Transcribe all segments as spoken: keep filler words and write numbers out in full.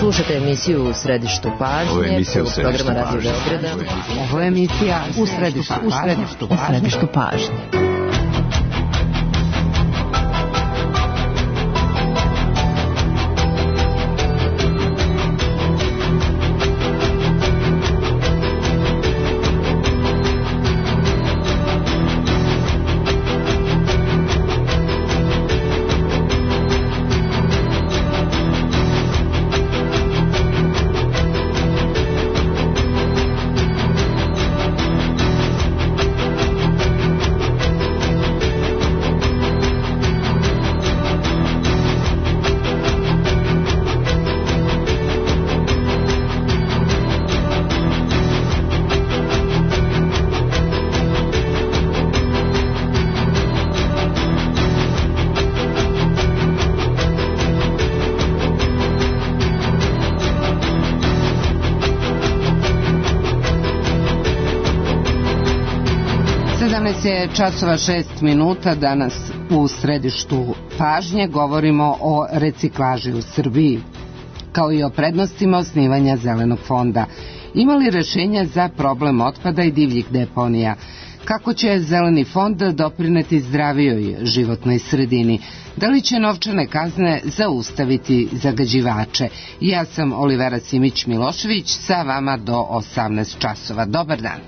Slušajte emisiju U središtu pažnje. Ovo je emisija U središtu programa Radio Beograda. Ovo je emisija U središtu U središtu pažnje. Časova šest minuta, danas u središtu pažnje govorimo o reciklaži u Srbiji, kao i o prednostima osnivanja Zelenog fonda. Ima li rešenja za problem otpada i divljih deponija? Kako će Zeleni fond doprineti zdravijoj životnoj sredini? Da li će novčane kazne zaustaviti zagađivače? Ja sam Olivera Simić-Milošević, sa vama do osamnaest časova. Dobar dan.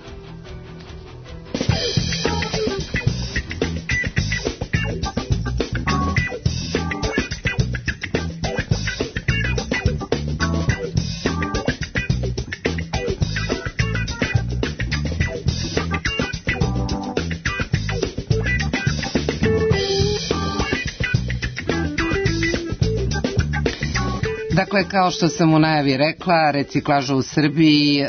Dakle, kao što sam u najavi rekla, reciklaža u Srbiji, e,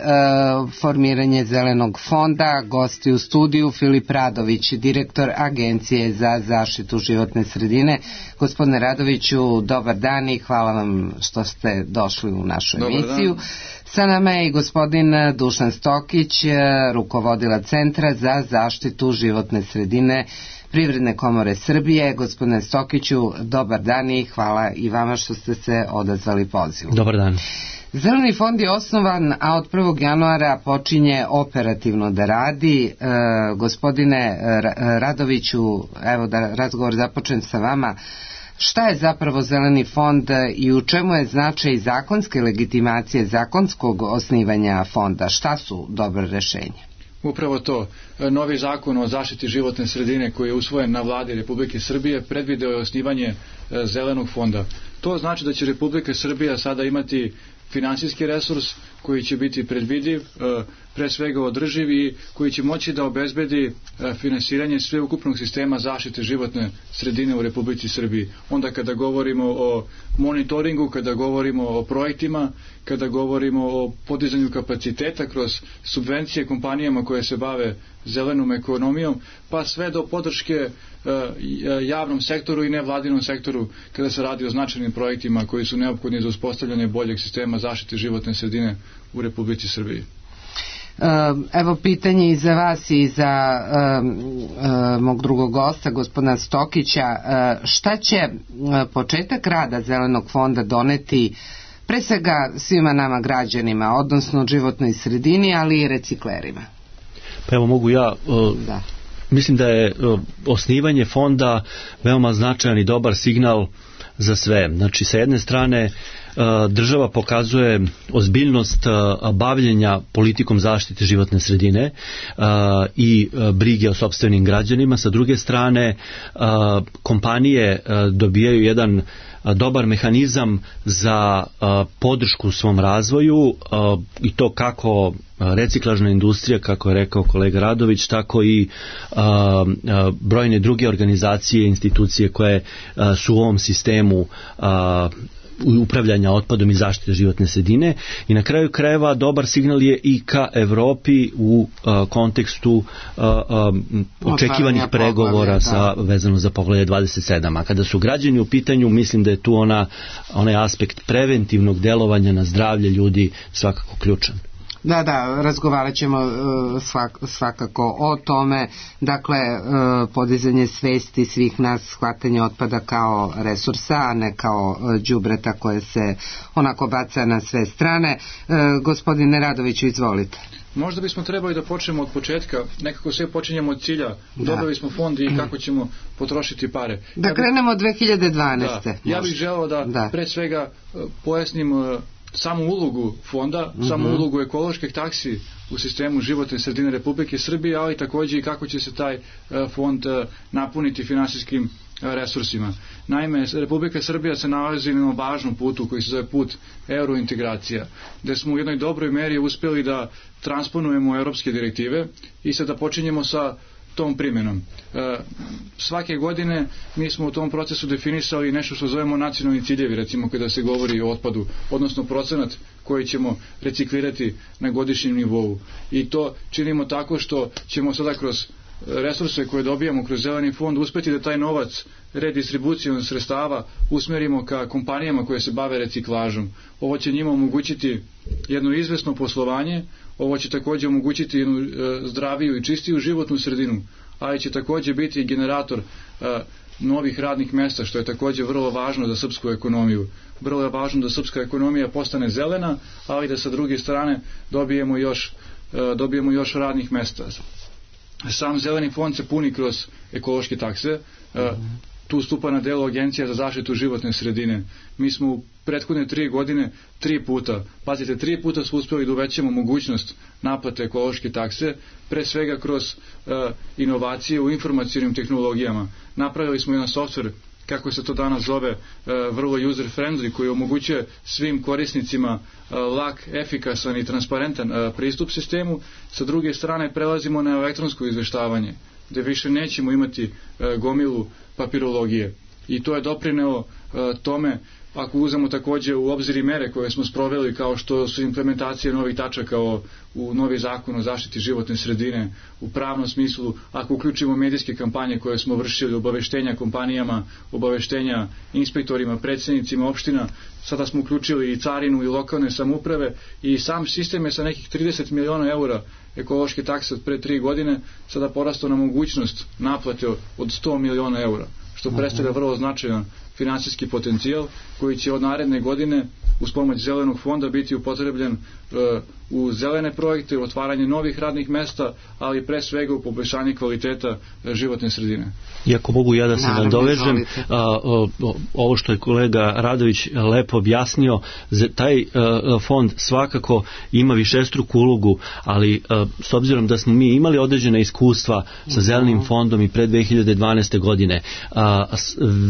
formiranje Zelenog fonda, gosti u studiju Filip Radović, direktor Agencije za zaštitu životne sredine. Gospodine Radoviću, dobar dan i hvala vam što ste došli u našu emisiju. Sa nama je i gospodin Dušan Stokić, rukovodilac Centra za zaštitu životne sredine Privredne komore Srbije. Gospodine Stokiću, dobar dan i hvala i vama što ste se odazvali pozivu. Dobar dan. Zeleni fond je osnovan, a od prvog januara počinje operativno da radi. E, gospodine Radoviću, evo da razgovor započnem sa vama. Šta je zapravo Zeleni fond i u čemu je značaj zakonske legitimacije, zakonskog osnivanja fonda? Šta su dobre rešenja? Upravo to. Novi zakon o zaštiti životne sredine koji je usvojen na vladi Republike Srbije predvideo je osnivanje Zelenog fonda. To znači da će Republika Srbija sada imati finansijski resurs koji će biti predvidiv, pre svega održiv i koji će moći da obezbedi finansiranje sveukupnog sistema zaštite životne sredine u Republici Srbiji. Onda kada govorimo o monitoringu, kada govorimo o projektima, kada govorimo o podizanju kapaciteta kroz subvencije kompanijama koje se bave zelenom ekonomijom, pa sve do podrške javnom sektoru i nevladinom sektoru kada se radi o značajnim projektima koji su neophodni za uspostavljanje boljeg sistema zaštite životne sredine u Republici Srbiji. Evo pitanje i za vas i za um, um, mog drugog gosta, gospodina Stokića. Šta će početak rada Zelenog fonda doneti pre svega svima nama građanima, odnosno životnoj sredini, ali i reciklerima? Pa evo mogu ja... Uh... Da. Mislim da je osnivanje fonda veoma značajan i dobar signal za sve. Znači, sa jedne strane država pokazuje ozbiljnost bavljenja politikom zaštite životne sredine i brige o sopstvenim građanima. Sa druge strane, kompanije dobijaju jedan dobar mehanizam za podršku u svom razvoju i to kako reciklažna industrija, kako je rekao kolega Radović, tako i brojne druge organizacije i institucije koje su u ovom sistemu upravljanja otpadom i zaštite životne sredine. I na kraju krajeva dobar signal je i ka Evropi u uh, kontekstu uh, uh, očekivanih pregovora sa, vezano za poglavlje dvadeset sedam. A kada su građani u pitanju, mislim da je tu ona, onaj aspekt preventivnog delovanja na zdravlje ljudi svakako ključan. Da, da, razgovarat ćemo uh, svak, svakako o tome, dakle uh, podizanje svesti svih nas, shvatanje otpada kao resursa, a ne kao uh, đubreta koje se onako baca na sve strane. Uh, gospodine Radoviću, izvolite. Možda bismo trebali da počnemo od početka, nekako sve počinjemo od cilja, da. Dobili smo fond i kako ćemo potrošiti pare. Da ja krenemo od dve hiljade dvanaeste. Da, ja bih želeo da, da pre svega uh, pojasnim uh, samu ulogu fonda, mm-hmm. samu ulogu ekoloških taksi u sistemu životne sredine Republike Srbije, ali također i kako će se taj uh, fond uh, napuniti finansijskim uh, resursima. Naime, Republika Srbija se nalazi na važnom putu koji se zove put eurointegracija, gde smo u jednoj dobroj meri uspjeli da transponujemo europske direktive i sada počinjemo sa tom primjenom. E, svake godine mi smo u tom procesu definisali nešto što zovemo nacionalni ciljevi, recimo kada se govori o otpadu, odnosno procenat koji ćemo reciklirati na godišnjem nivou. I to činimo tako što ćemo sada kroz resurse koje dobijamo kroz zeleni fond uspjeti da taj novac redistribucijom sredstava usmjerimo ka kompanijama koje se bave reciklažom. Ovo će njima omogućiti jedno izvesno poslovanje, ovo će također omogućiti jednu e, zdraviju i čistiju životnu sredinu, ali će također biti generator e, novih radnih mjesta, što je također vrlo važno za srpsku ekonomiju. Vrlo je važno da srpska ekonomija postane zelena, ali da sa druge strane dobijemo još, e, dobijemo još radnih mjesta. Sam zeleni fond se puni kroz ekološke takse. Mm-hmm. Tu stupa na delo Agencija za zaštitu životne sredine. Mi smo u prethodne tri godine tri puta, pazite, tri puta smo uspjeli da uvećamo mogućnost naplate ekološke takse, pre svega kroz uh, inovacije u informacionim tehnologijama. Napravili smo jedan softver, kako se to danas zove, vrlo user friendly, koji omogućuje svim korisnicima lak, efikasan i transparentan pristup sistemu. Sa druge strane prelazimo na elektronsko izveštavanje, gdje više nećemo imati gomilu papirologije. I to je doprineo tome, ako uzemo također u obzir i mere koje smo sproveli, kao što su implementacije novih tačaka o, u novi zakon o zaštiti životne sredine, u pravnom smislu, ako uključimo medijske kampanje koje smo vršili, obaveštenja kompanijama, obaveštenja inspektorima, predsjednicima opština, sada smo uključili i carinu i lokalne samouprave i sam sistem je sa nekih trideset miliona eura ekološke takse od pre tri godine sada porastao na mogućnost naplate od sto miliona eura, što predstavlja vrlo značajan finansijski potencijal koji će od naredne godine uz pomoć zelenog fonda biti upotrebljen uh, u zelene projekte, u otvaranje novih radnih mesta, ali pre svega u poboljšanje kvaliteta uh, životne sredine. Iako mogu ja da se nadovežem, ovo što je kolega Radović lepo objasnio, taj uh, fond svakako ima višestruku ulogu, ali uh, s obzirom da smo mi imali određena iskustva sa zelenim fondom i pre dve hiljade dvanaeste godine, uh,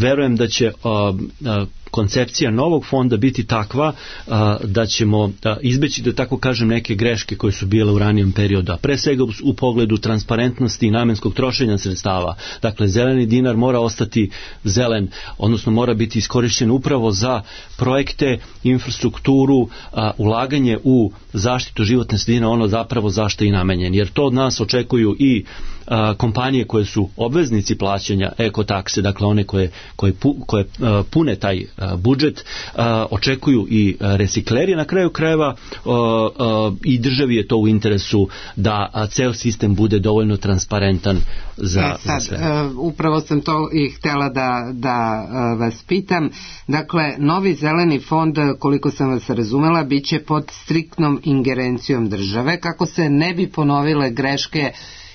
verujem da će uh, uh, koncepcija novog fonda biti takva a, da ćemo a, izbeći, da tako kažem, neke greške koje su bile u ranijem periodu, a pre svega u, u pogledu transparentnosti i namenskog trošenja sredstava. Dakle, zeleni dinar mora ostati zelen, odnosno mora biti iskorišćen upravo za projekte, infrastrukturu, a, ulaganje u zaštitu životne sredine, ono zapravo zašto i namenjen, jer to od nas očekuju i a, kompanije koje su obveznici plaćanja ekotakse, dakle one koje, koje, pu, koje a, pune taj a, budžet, a, očekuju i a, recikleri, na kraju krajeva a, a, i državi je to u interesu da a, ceo sistem bude dovoljno transparentan za, e, sad, za sve. Uh, upravo sam to i htjela da, da uh, vas pitam. Dakle, novi zeleni fond, koliko sam vas razumela, bit će pod striktnom ingerencijom države, kako se ne bi ponovile greške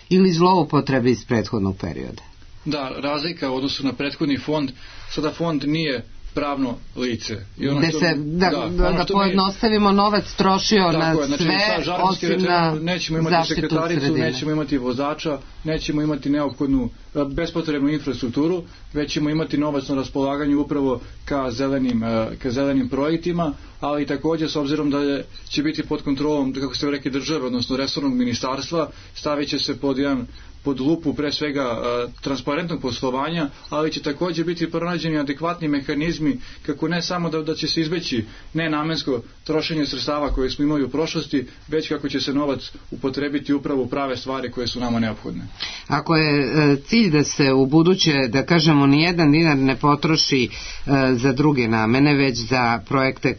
ili zloupotrebe iz prethodnog perioda. Da, razlika u odnosu na prethodni fond, sada fond nije pravno lice. I ono što, se, da, da, da pojednostavimo, mi, novac trošio na je, znači, sve, osim na nećemo imati sekretaricu, nećemo imati vozača, nećemo imati neophodnu bespotrebnu infrastrukturu, već ćemo imati novac na raspolaganju upravo ka zelenim, ka zelenim projektima, ali također s obzirom da je, će biti pod kontrolom, kako ste rekli, države, odnosno resornog ministarstva, stavit će se pod jedan pod lupu pre svega transparentnog poslovanja, ali će također biti pronađeni adekvatni mehanizmi kako ne samo da, da će se izbeći nenamensko trošenje sredstava koje smo imali u prošlosti, već kako će se novac upotrebiti upravo u prave stvari koje su nama neophodne. Ako je cilj da se u buduće, da kažemo, nijedan dinar ne potroši za druge namene, već za projekte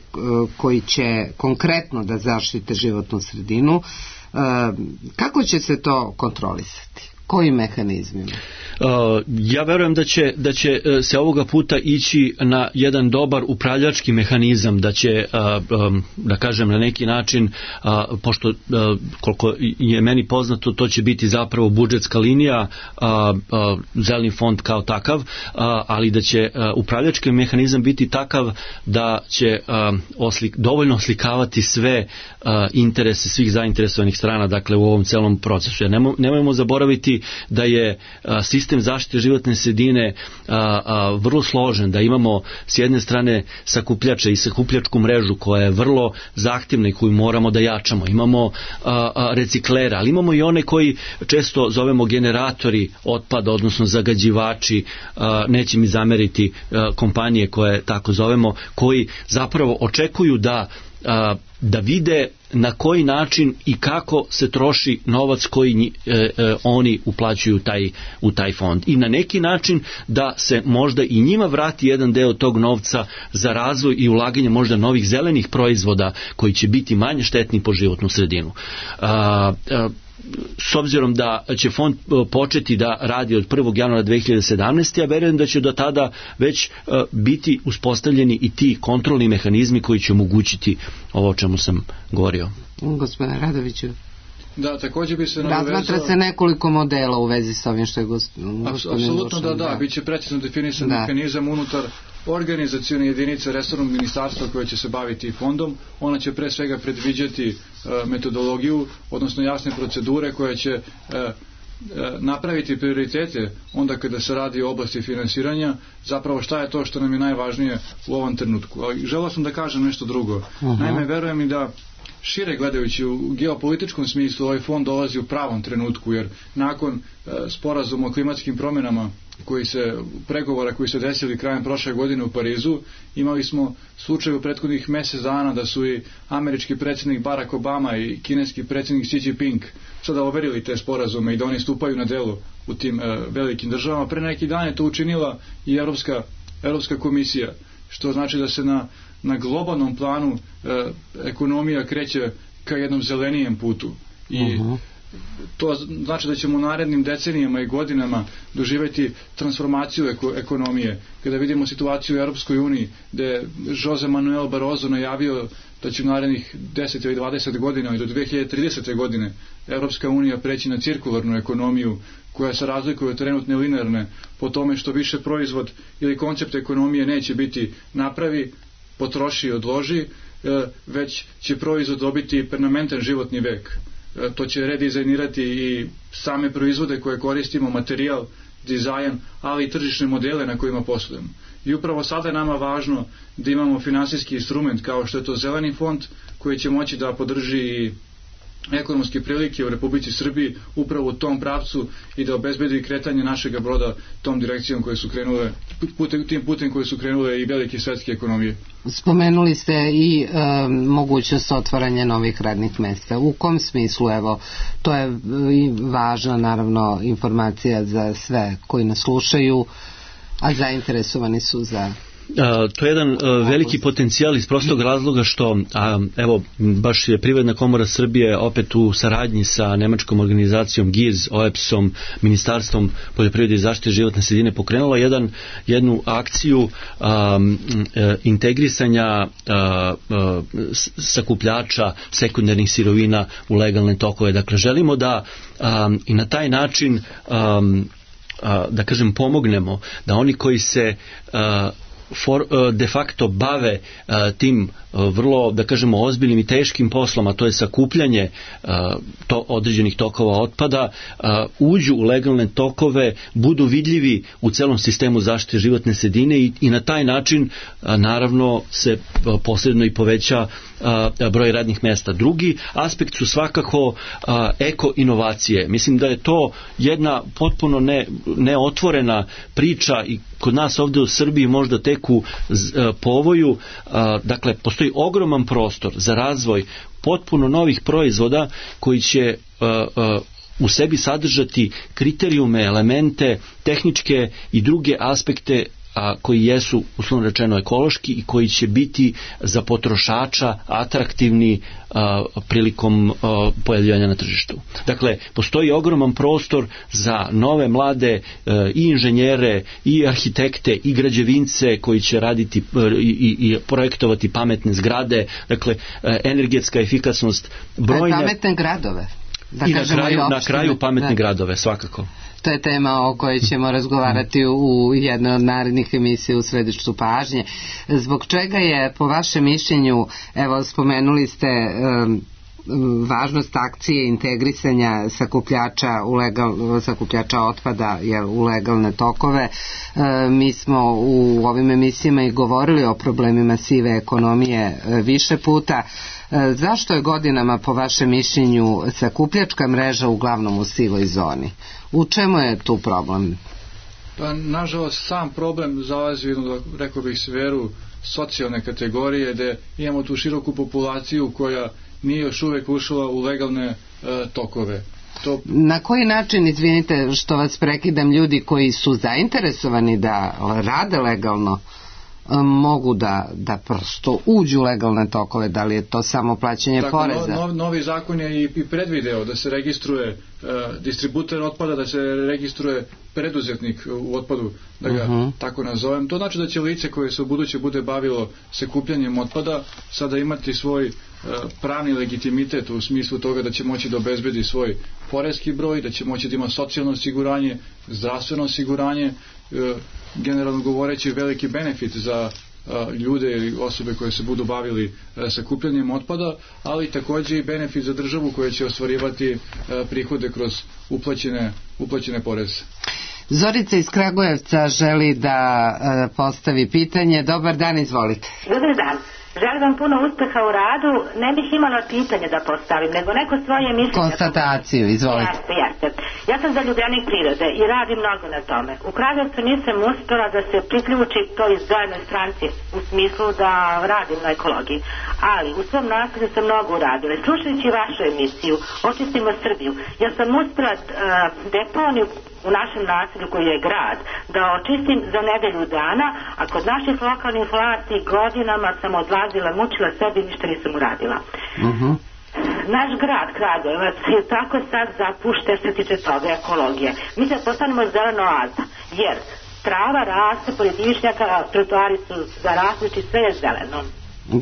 koji će konkretno da zaštite životnu sredinu, kako će se to kontrolisati? Kojim mehanizmima? Uh, ja verujem da će, da će se ovoga puta ići na jedan dobar upravljački mehanizam, da će, uh, um, da kažem na neki način, uh, pošto uh, koliko je meni poznato, to će biti zapravo budžetska linija, uh, uh, zeleni fond kao takav, uh, ali da će uh, upravljački mehanizam biti takav da će uh, oslik, dovoljno oslikavati sve uh, interese svih zainteresovanih strana, dakle u ovom celom procesu. Ja nemo, nemojmo zaboraviti da je a, sistem zaštite životne sredine a, a, vrlo složen, da imamo s jedne strane sakupljače i sakupljačku mrežu koja je vrlo zahtjevna i koju moramo da jačamo. Imamo a, a, reciklera, ali imamo i one koji često zovemo generatori otpada, odnosno zagađivači, a, neće mi zameriti a, kompanije koje tako zovemo, koji zapravo očekuju da a, da vide na koji način i kako se troši novac koji e, e, oni uplaćuju taj, u taj fond. I na neki način da se možda i njima vrati jedan deo tog novca za razvoj i ulaganje možda novih zelenih proizvoda koji će biti manje štetni po životnu sredinu. A, a, s obzirom da će fond početi da radi od prvog januara dve hiljade sedamnaeste. ja verujem da će do tada već biti uspostavljeni i ti kontrolni mehanizmi koji će omogućiti ovo o čemu sam govorio. Gospodine Radoviću. Da, također bi se nadovezao... Razmatra se nekoliko modela u vezi s ovim što je gospodin Apsolutno da, da, bit će precizno definisan da. mehanizam unutar organizacione jedinice resornog ministarstva koje će se baviti fondom. Ona će pre svega predviđati uh, metodologiju, odnosno jasne procedure koje će uh, napraviti prioritete onda kada se radi o oblasti finansiranja, zapravo šta je to što nam je najvažnije u ovom trenutku. Ali želeo sam da kažem nešto drugo. Uh-huh. Naime, verujem i da šire gledajući u geopolitičkom smislu ovaj fond dolazi u pravom trenutku, jer nakon e, sporazuma o klimatskim promjenama koji se, pregovora koji se desili krajem prošle godine u Parizu, imali smo slučaj u prethodnih mjesec dana da su i američki predsjednik Barack Obama i kineski predsjednik Xi Jinping sada overili te sporazume i da oni stupaju na delo u tim e, velikim državama. Pre neki dan je to učinila i Europska, Europska komisija, što znači da se na na globalnom planu e, ekonomija kreće ka jednom zelenijem putu. I uh-huh. to znači da ćemo u narednim decenijama i godinama doživjeti transformaciju eko, ekonomije. Kada vidimo situaciju u Europskoj uniji, gdje je Jose Manuel Barroso najavio da će u narednih deset ili dvadeset godina i do dve hiljade tridesete. godine Europska unija preći na cirkularnu ekonomiju koja se razlikuje od trenutne linearne po tome što više proizvod ili koncept ekonomije neće biti napravi, potroši i odloži, već će proizvod dobiti permanentan životni vek. To će redizajnirati i same proizvode koje koristimo, materijal, dizajn, ali i tržišne modele na kojima poslujemo. I upravo sada je nama važno da imamo finansijski instrument kao što je to zeleni fond koji će moći da podrži i ekonomske prilike u Republici Srbiji upravo u tom pravcu i da obezbedi kretanje našeg broda tom direkcijom koje su krenule, putem, tim putem koje su krenule i velike svetske ekonomije. Spomenuli ste i e, mogućnost otvaranja novih radnih mjesta. U kom smislu, evo, to je važna naravno informacija za sve koji nas slušaju, a zainteresovani su za... A, to je jedan a, veliki potencijal iz prostog razloga što a, evo baš je Privredna komora Srbije opet u saradnji sa nemačkom organizacijom G I Z, O E P S-om, Ministarstvom poljoprivrede i zaštite životne sredine pokrenula jedan, jednu akciju a, a, integrisanja a, a, sakupljača sekundarnih sirovina u legalne tokove. Dakle, želimo da a, i na taj način a, a, da kažem pomognemo da oni koji se a, for, de facto bave tim vrlo, da kažemo, ozbiljnim i teškim poslom, a to je sakupljanje to, određenih tokova otpada, uđu u legalne tokove, budu vidljivi u celom sistemu zaštite životne sredine i, i na taj način naravno se posredno i poveća broj radnih mesta. Drugi aspekt su svakako eko-inovacije. Mislim da je to jedna potpuno ne, neotvorena priča i kod nas ovde u Srbiji možda tek u povoju. Dakle, postoji ogroman prostor za razvoj potpuno novih proizvoda koji će u sebi sadržati kriterijume, elemente, tehničke i druge aspekte a koji jesu, uslovno rečeno, ekološki i koji će biti za potrošača atraktivni a, prilikom a, pojavljivanja na tržištu. Dakle, postoji ogroman prostor za nove mlade a, i inženjere, i arhitekte, i građevince koji će raditi a, i, i projektovati pametne zgrade, dakle, a, energetska efikasnost, brojne... Pametne gradove. Da I na kraju, na kraju pametne da. gradove, svakako. To je tema o kojoj ćemo razgovarati u jednoj od narednih emisija u središtu pažnje. Zbog čega je, po vašem mišljenju, evo spomenuli ste um, važnost akcije integrisanja sakupljača, u legal, sakupljača otpada jel, u legalne tokove. E, mi smo u ovim emisijama i govorili o problemima sive ekonomije e, više puta. E, zašto je godinama, po vašem mišljenju, sakupljačka mreža uglavnom u sivoj zoni? U čemu je tu problem? Pa, nažalost, sam problem zalazi u jednu, rekao bih, sferu socijalne kategorije, gde imamo tu široku populaciju koja nije još uvek ušla u legalne e, tokove. To... Na koji način, izvinite što vas prekidam, ljudi koji su zainteresovani da rade legalno mogu da, da prosto uđu u legalne tokove, da li je to samo plaćanje Tako, poreza? No, novi zakon je i, i predvideo da se registruje uh, distributer otpada, da se registruje preduzetnik u otpadu, da ga uh-huh. tako nazovem. To znači da će lice koje se u buduće bude bavilo sakupljanjem otpada sada imati svoj uh, pravni legitimitet u smislu toga da će moći da obezbedi svoj poreski broj, da će moći da ima socijalno osiguranje, zdravstveno osiguranje, uh, generalno govoreći veliki benefit za a, ljude ili osobe koje se budu bavili a, sakupljanjem otpada, ali takođe i benefit za državu koja će ostvarivati a, prihode kroz uplaćene, uplaćene poreze. Zorica iz Kragujevca želi da a, postavi pitanje. Dobar dan, izvolite. Dobar dan. Želim vam puno uspeha u radu. Ne bih imala pitanje da postavim, nego neko svoje mišljenje. Konstataciju, izvolite. Jeste, jeste. Ja sam zaljubljenik prirode i radim mnogo na tome. U Kragujevcu nisam uspjela da se priključi toj zelenoj stranci u smislu da radim na ekologiji. Ali u svom naselju sam mnogo uradila. Slušajući vašu emisiju Očistimo Srbiju, ja sam uspjela uh, deponiju u našem naselju koji je grad da očistim za nedelju dana, a kod naših lokalnih vlasti godinama sam odlazila, mučila sebi i ništa nisam uradila. Uh-huh. Naš grad Kragujevac je tako sad zapušten što se tiče toga ekologije. Mi se postanemo zeleno oaza, jer trava raste, pored višnjaka, trotoari su zarasliči, sve je zeleno.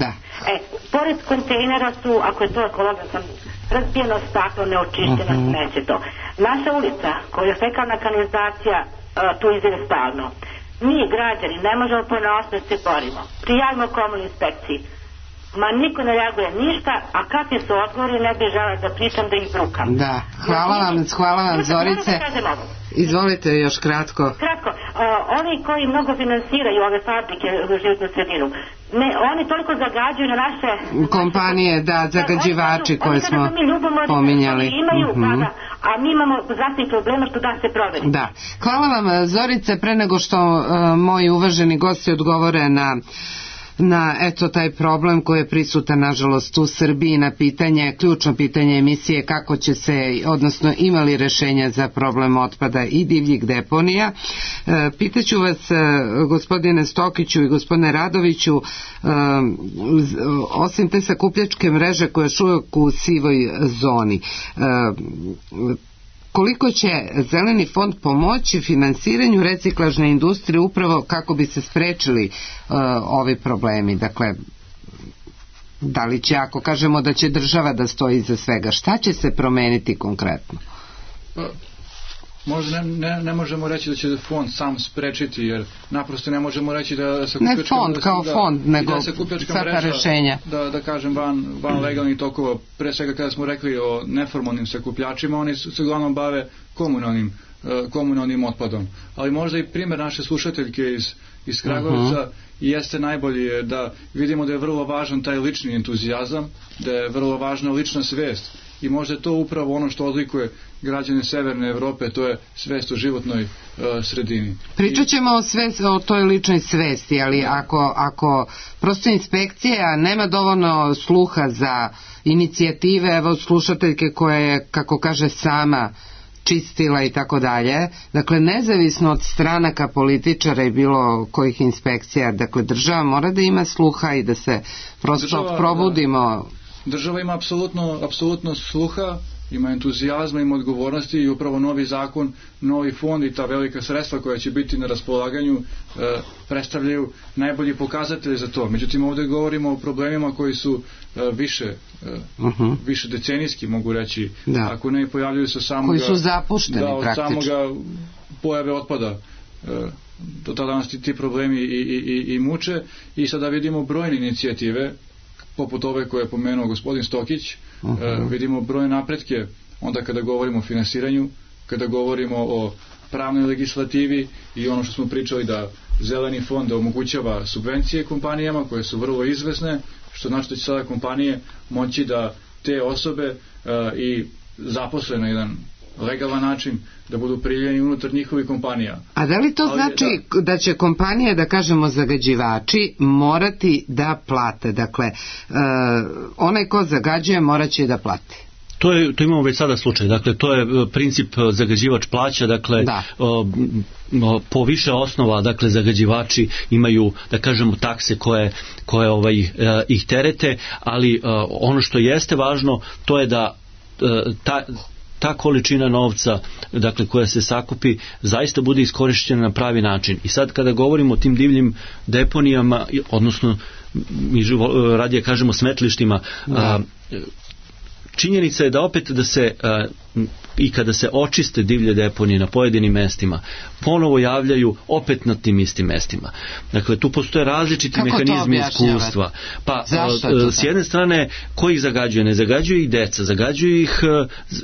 Da. E, pored kontejnera su, ako je to ekologija, sam razbijeno staklo, neočišteno, uh-huh. neće to. Naša ulica, koja je fekalna kanalizacija, uh, tu izgleda stalno. Mi, građani, ne možemo ponosno se borimo. Prijavimo komunalnoj inspekciji. Ma niko ne reaguje ništa, a kakvi su odgovori, ne bih žela da pričam, da ih brukam. Da, hvala vam, hvala vam, Zorice. Izvolite još kratko. Kratko, uh, oni koji mnogo finansiraju ove fabrike u životnu sredinu, ne, oni toliko zagađuju na naše... Kompanije, da, zagađivači koje smo pominjali. Imaju, uh-huh. da, a mi imamo zdravstvenih problema što da se proveri. Da, hvala vam, Zorice, pre nego što uh, moji uvaženi gosti odgovore na na eto taj problem koji je prisutan nažalost u Srbiji, na pitanje, ključno pitanje emisije kako će se, odnosno imali rešenja za problem otpada i divljih deponija. E, pitaću vas, e, gospodine Stokiću i gospodine Radoviću, e, osim te sakupljačke mreže koja je uvek u sivoj zoni, e, koliko će Zeleni fond pomoći finansiranju reciklažne industrije upravo kako bi se sprečili uh, ovi problemi? Dakle, da li će, ako kažemo da će država da stoji iza svega, šta će se promeniti konkretno? možda ne, ne, ne možemo reći da će fond sam sprečiti, jer naprosto ne možemo reći da se ne fond kao da, fond, nego svaka rešenja da, da kažem van, van legalnih tokova, pre svega kada smo rekli o neformalnim sakupljačima, oni se uglavnom bave komunalnim komunalnim otpadom. Ali možda i primjer naše slušateljke iz, iz Kragujevca uh-huh. jeste najbolji, da vidimo da je vrlo važan taj lični entuzijazam, da je vrlo važna lična svest i možda je to upravo ono što odlikuje građane Severne Evrope, to je svest o životnoj uh, sredini. Pričat ćemo o, svest, o toj ličnoj svesti, ali ako, ako prosto inspekcija nema dovoljno sluha za inicijative, evo slušateljke koja je, kako kaže, sama čistila i tako dalje, dakle nezavisno od stranaka političara i bilo kojih inspekcija, dakle država mora da ima sluha i da se prosto država, probudimo. Država ima apsolutno, apsolutno sluha, ima entuzijazma, ima odgovornosti i upravo novi zakon, novi fond i ta velika sredstva koja će biti na raspolaganju e, predstavljaju najbolji pokazatelji za to. Međutim, ovdje govorimo o problemima koji su e, više e, uh-huh. više decenijski, mogu reći, da. Ako ne pojavljuju se samoga, koji su zapušteni da, od praktično. Samoga pojave otpada. E, do tada nas ti, ti problemi i, i, i, i muče i sada vidimo brojne inicijative poput ove koje je pomenuo gospodin Stokić, uh-huh. e, vidimo brojne napretke onda kada govorimo o finansiranju, kada govorimo o pravnoj legislativi i ono što smo pričali da zeleni fond omogućava subvencije kompanijama koje su vrlo izvesne, što znači da će sada kompanije moći da te osobe e, i zaposle na jedan legalan način da budu primljeni unutar njihovih kompanija. A da li to Ali, znači da, da će kompanije, da kažemo zagađivači, morati da plate? Dakle, uh, onaj ko zagađuje morat će da plati. To, je, to imamo već sada slučaj. Dakle, to je princip zagađivač plaća. Dakle, da. o, o, po više osnova, dakle, zagađivači imaju, da kažemo, takse koje, koje ovaj, e, ih terete, ali e, ono što jeste važno, to je da e, ta ta količina novca, dakle, koja se sakupi, zaista bude iskorišćena na pravi način. I sad kada govorimo o tim divljim deponijama, odnosno mi radije kažemo smetlištima, a, činjenica je da opet da se a, i kada se očiste divlje deponije na pojedinim mestima, ponovo javljaju opet na tim istim mestima. Dakle, tu postoje različiti Kako mehanizmi iskustva. Pa, a, s jedne strane, ko ih zagađuje? Ne zagađuje ih deca, zagađuju ih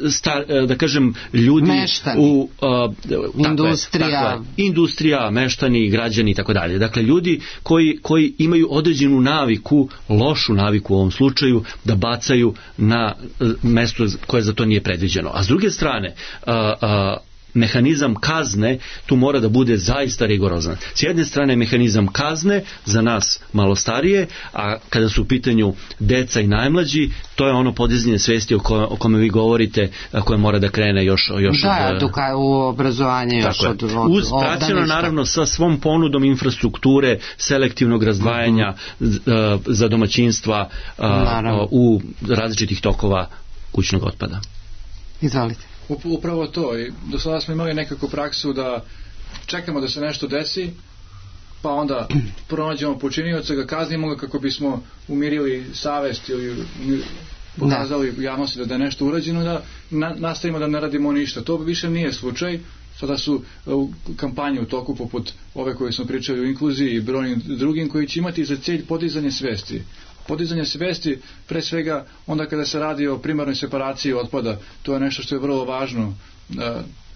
star, da kažem, ljudi meštani. u a, industrija, takve, takve, industrija, meštani, građani i tako dalje. Dakle, ljudi koji, koji imaju određenu naviku, lošu naviku u ovom slučaju, da bacaju na mesto koje za to nije predviđeno. A s druge strane, a, a, mehanizam kazne tu mora da bude zaista rigorozan. S jedne strane mehanizam kazne za nas malo starije, a kada su u pitanju deca i najmlađi, to je ono podizanje svesti o, ko, o kome vi govorite, a koje mora da krene još, još da, od... Da, u obrazovanje još od, od, uz praćeno naravno sa svom ponudom infrastrukture, selektivnog razdvajanja uh-huh. za domaćinstva uh, u različitih tokova kućnog otpada. Izvolite. Upravo to. I do sada smo imali nekako praksu da čekamo da se nešto desi, pa onda pronađemo počinioca, ga kaznimo ga kako bismo umirili savest ili pokazali u javnosti da je nešto urađeno, da na, nastavimo da ne radimo ništa. To više nije slučaj. Sada su uh, kampanje u toku poput ove koje smo pričali u inkluziji i brojnim drugim koji će imati za cilj podizanje svesti. Podizanje svesti, pre svega onda kada se radi o primarnoj separaciji otpada, to je nešto što je vrlo važno uh,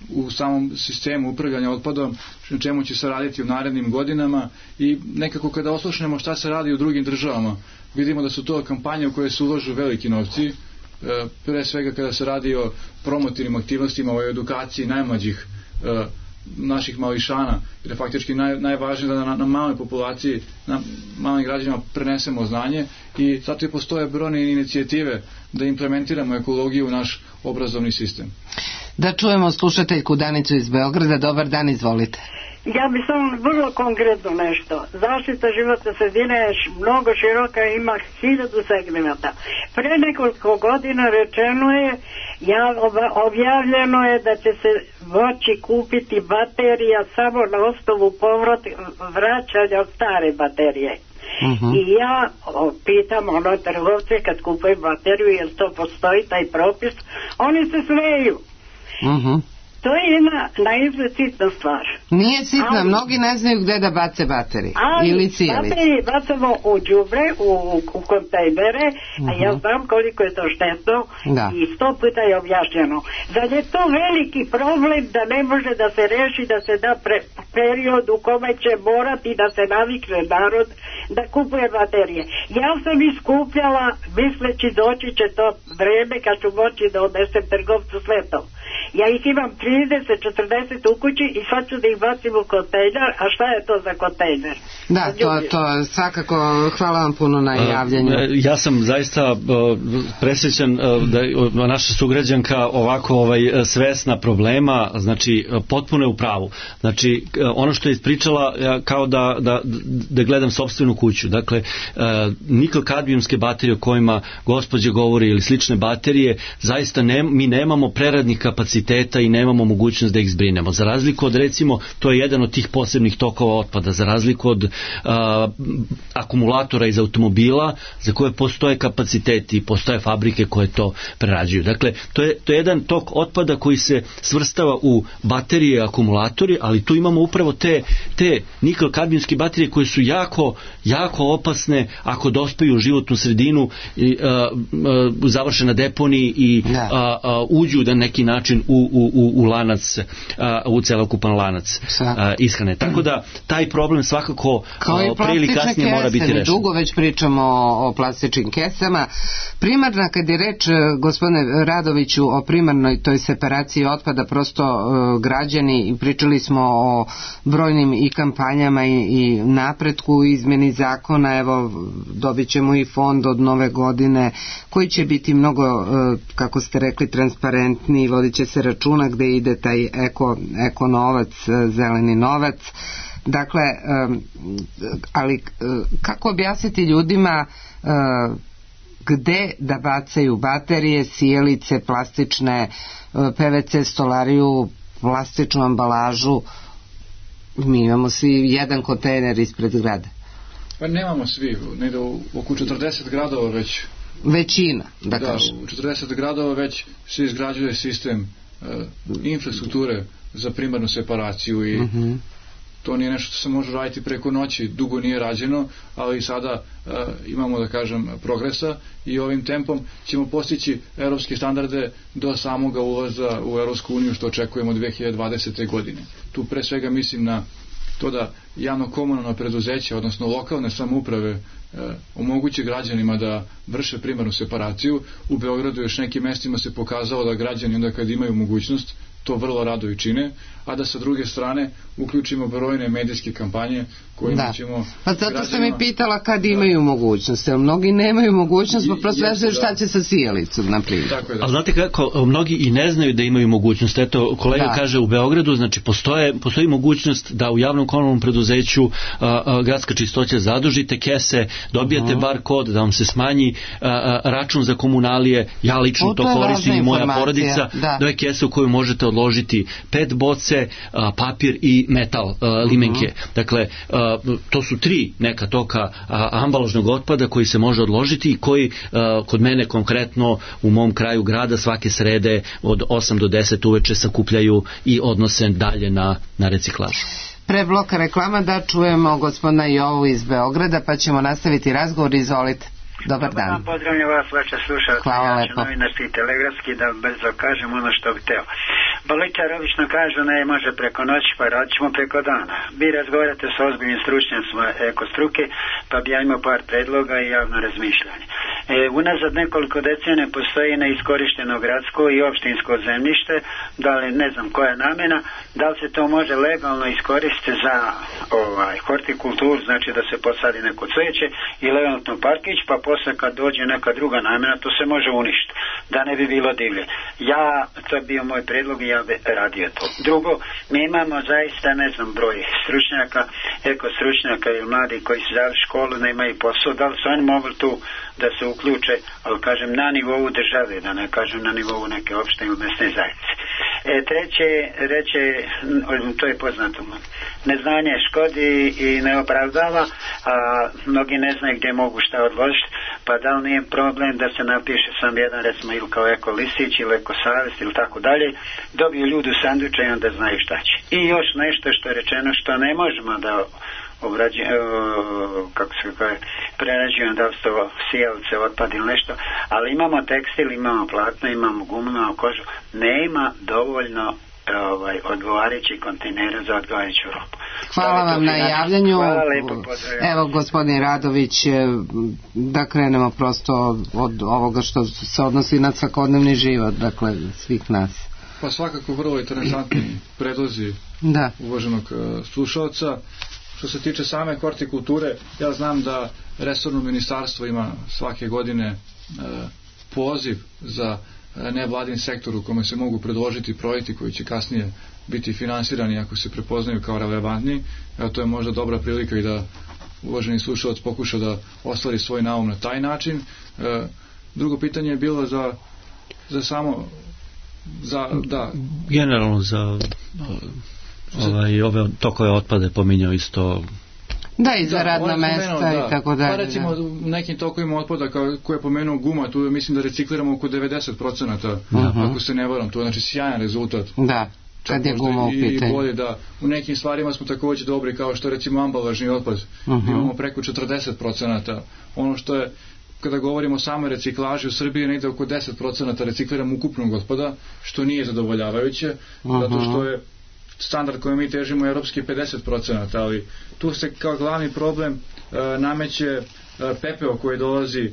u samom sistemu upravljanja otpadom, na čemu će se raditi u narednim godinama i nekako kada oslušnemo šta se radi u drugim državama, vidimo da su to kampanje u koje se uložu veliki novci, uh, pre svega kada se radi o promotivnim aktivnostima, o edukaciji najmlađih uh, naših mališana, jer je faktički naj, najvažnije da na, na maloj populaciji, na malim građanima prenesemo znanje i zato i postoje brojne inicijative da implementiramo ekologiju u naš obrazovni sistem. Da čujemo slušateljku Danicu iz Beograda. Dobar dan, izvolite. Ja bih samo vrlo konkretno nešto. Zaštita životne sredine je mnogo široka i ima hiljadu segmenta. Pre nekoliko godina rečeno je, ja, objavljeno je da će se moći kupiti baterija samo na osnovu povrat vraćanja od stare baterije. Uh-huh. I ja o, pitam ono trgovce kad kupujem bateriju, jel to postoji taj propis, oni se smeju. Uh-huh. To je jedna naizgled sitna stvar. Nije sitna, ali, mnogi ne znaju gde da bace baterije ili cijelice. Baterije bacamo u đubre, u, u kontejnere, uh-huh. a ja znam koliko je to štetno da. I sto puta je objašnjeno. Zar je to veliki problem da ne može da se reši, da se da pre, period u kome će morati da se navikne narod da kupuje baterije. Ja sam iskupljala misleći doći će to vreme kad ću moći da odnesem trgovcu svetom. Ja ih imam trideset četrdeset u kući i sad ću da ih bacim u kontejner, a šta je to za kontejner? Da, to, to svakako, hvala vam puno na javljanju. Ja sam zaista presrećan da naša sugrađanka ovako ovaj, svesna problema, znači potpuno je u pravu. Znači ono što je ispričala kao da, da, da gledam sopstvenu kuću. Dakle, nikl kadmijumske baterije o kojima gospođa govori ili slične baterije, zaista ne, mi nemamo preradnih kapaciteta i nemamo mogućnost da ih zbrinemo. Za razliku od, recimo, to je jedan od tih posebnih tokova otpada, za razliku od a, akumulatora iz automobila za koje postoje kapaciteti i postoje fabrike koje to prerađuju. Dakle, to je, to je jedan tok otpada koji se svrstava u baterije i akumulatori, ali tu imamo upravo te, te nikl-kadmijumske baterije koje su jako, jako opasne ako dospeju u životnu sredinu i a, a, završe na deponiji i a, a, uđu na neki način u, u, u, u lanac, a, u celokupan lanac a, ishrane. Tako da taj problem svakako pre ili kasnije mora biti rešen. Dugo već pričamo o, o plastičnim kesama. Primarna, kad je reč, gospodine Radoviću, o primarnoj toj separaciji otpada, prosto uh, građani, pričali smo o brojnim i kampanjama i, i napretku u izmeni zakona, evo dobit ćemo i fond od nove godine koji će biti mnogo, uh, kako ste rekli, transparentni, vodit će se računa gde ide taj eko, eko novac, zeleni novac. Dakle, ali kako objasniti ljudima gde da bacaju baterije, sijalice, plastične, P V C stolariju, plastičnu ambalažu? Mi imamo svi jedan kontejner ispred grada. Pa nemamo svi, negde u oko četrdeset gradova već. Većina, da, da kažem. U četrdeset gradova već se izgrađuje sistem uh, infrastrukture za primarnu separaciju i uh-huh. to nije nešto što se može raditi preko noći, dugo nije rađeno, ali sada uh, imamo, da kažem, progresa i ovim tempom ćemo postići evropske standarde do samoga ulaza u Evropsku uniju, što očekujemo dve hiljade dvadesete. godine. Tu pre svega mislim na to da javno-komunalna preduzeća, odnosno lokalne samouprave, e, omoguće građanima da vrše primarnu separaciju. U Beogradu još nekim mestima se pokazalo da građani onda kad imaju mogućnost to vrlo rado i čine, a da sa druge strane uključimo brojne medijske kampanje kojima da. ćemo... Pa zato građanima... sam i pitala kad imaju da. mogućnost, jer mnogi nemaju mogućnost, pa prosto ne znaju šta će sa sijalicom, na primjer. Da. Ali znate kako, mnogi i ne znaju da imaju mogućnost. Eto, kolega da. kaže u Beogradu, znači postoje, postoji mogućnost da u javnom komunalnom preduzeću a, a, gradska čistoća zadužite kese, dobijete uh-huh. bar kod da vam se smanji a, a, račun za komunalije. Ja lično o, to, to koristim i moja porodica. Da. To je kesa u koju možete odložiti pet boce, a, papir i metal a, limenke. Uh-huh. Dakle, a, to su tri neka toka a, ambalažnog otpada koji se može odložiti i koji a, kod mene konkretno u mom kraju grada svake srede od osam do deset uveče sakupljaju i odnose dalje na, na reciklažu. Pre bloka reklama da čujemo gospodina Jovu iz Beograda, pa ćemo nastaviti razgovor. Izvolite. Dobar dan. Dobar dan, pozdravljam vas, vaša slušalca. Hvala ja lepo. Novinarski i telegrafski, da brzo kažem ono što bih teo. Boličar obično kažu ne može preko noći, pa radit ćemo preko dana. Vi razgovarate sa ozbiljnim stručnjacima eko struke, pa bi ja imao par predloga i javno razmišljanje. E, unazad nekoliko decenija postoji neiskorišteno gradsko i opštinsko zemljište, da li ne znam koja namena, da li se to može legalno iskoristiti za ovaj, hortikulturu, znači da se posadi neko cveće ili eventualno parkić, pa posle kad dođe neka druga namena, to se može uništiti, da ne bi bilo divlje. Ja, to je bio moj predlog i ja bi radio to. Drugo, mi imamo zaista, ne znam, broj stručnjaka, eko stručnjaka ili mladi koji su dali školu, nemaju posao, da li su oni mogli tu da se uključe, ali kažem na nivou države, da ne kažem na nivou neke opšte ili mesne zajednice. E, treće, reče, to je poznato, neznanje škodi i ne opravdava, a mnogi ne znaju gdje mogu šta odložiti, pa da li nije problem da se napiše sam jedan, recimo, ili kao Eko Lisić ili Eko Savest ili tako dalje, dobiju ljudi u sanduče i onda znaju šta će. I još nešto što je rečeno što ne možemo da obrađujem, kako se kaže, prerađujem, da li su to sijalice, otpad ili nešto, ali imamo tekstil, imamo platno, imamo gumu, imamo kožu, nema dovoljno ovaj, odgovarajući kontejnera za odgovarajuću robu. Hvala vam na javljanju. Hvala lepo, pozdravljam. Evo, gospodin Radović, da krenemo prosto od ovoga što se odnosi na svakodnevni život, dakle, svih nas. Pa svakako vrlo interesantni predlozi da. uvaženog uh, slušalca. Što se tiče same hortikulture, ja znam da resorno ministarstvo ima svake godine e, poziv za nevladin sektor u kome se mogu predložiti projekti koji će kasnije biti finansirani ako se prepoznaju kao relevantni. Evo, to je možda dobra prilika i da uvaženi slušalac pokuša da ostvari svoj naum na taj način. E, drugo pitanje je bilo za, za samo za, da. Generalno za ovaj, ove tokove otpade pominjao isto. Da, i za da, radna mesta da. I tako dalje. Pa recimo u nekim tokovima otpada kao, koje je pomenuo guma, tu mislim da recikliramo oko devedeset procenata, uh-huh. ako se ne varam, to je znači sjajan rezultat. Da, kad je guma u pitanju. I bolje da, u nekim stvarima smo također dobri, kao što recimo ambalažni otpad, uh-huh. imamo preko četrdeset procenata. Ono što je, kada govorimo o samoj reciklaži u Srbiji, negde oko deset procenata recikliramo ukupnog otpada, što nije zadovoljavajuće, uh-huh. zato što je standard koji mi težimo je evropski pedeset procenata, ali tu se kao glavni problem e, nameće e, pepeo koji dolazi e,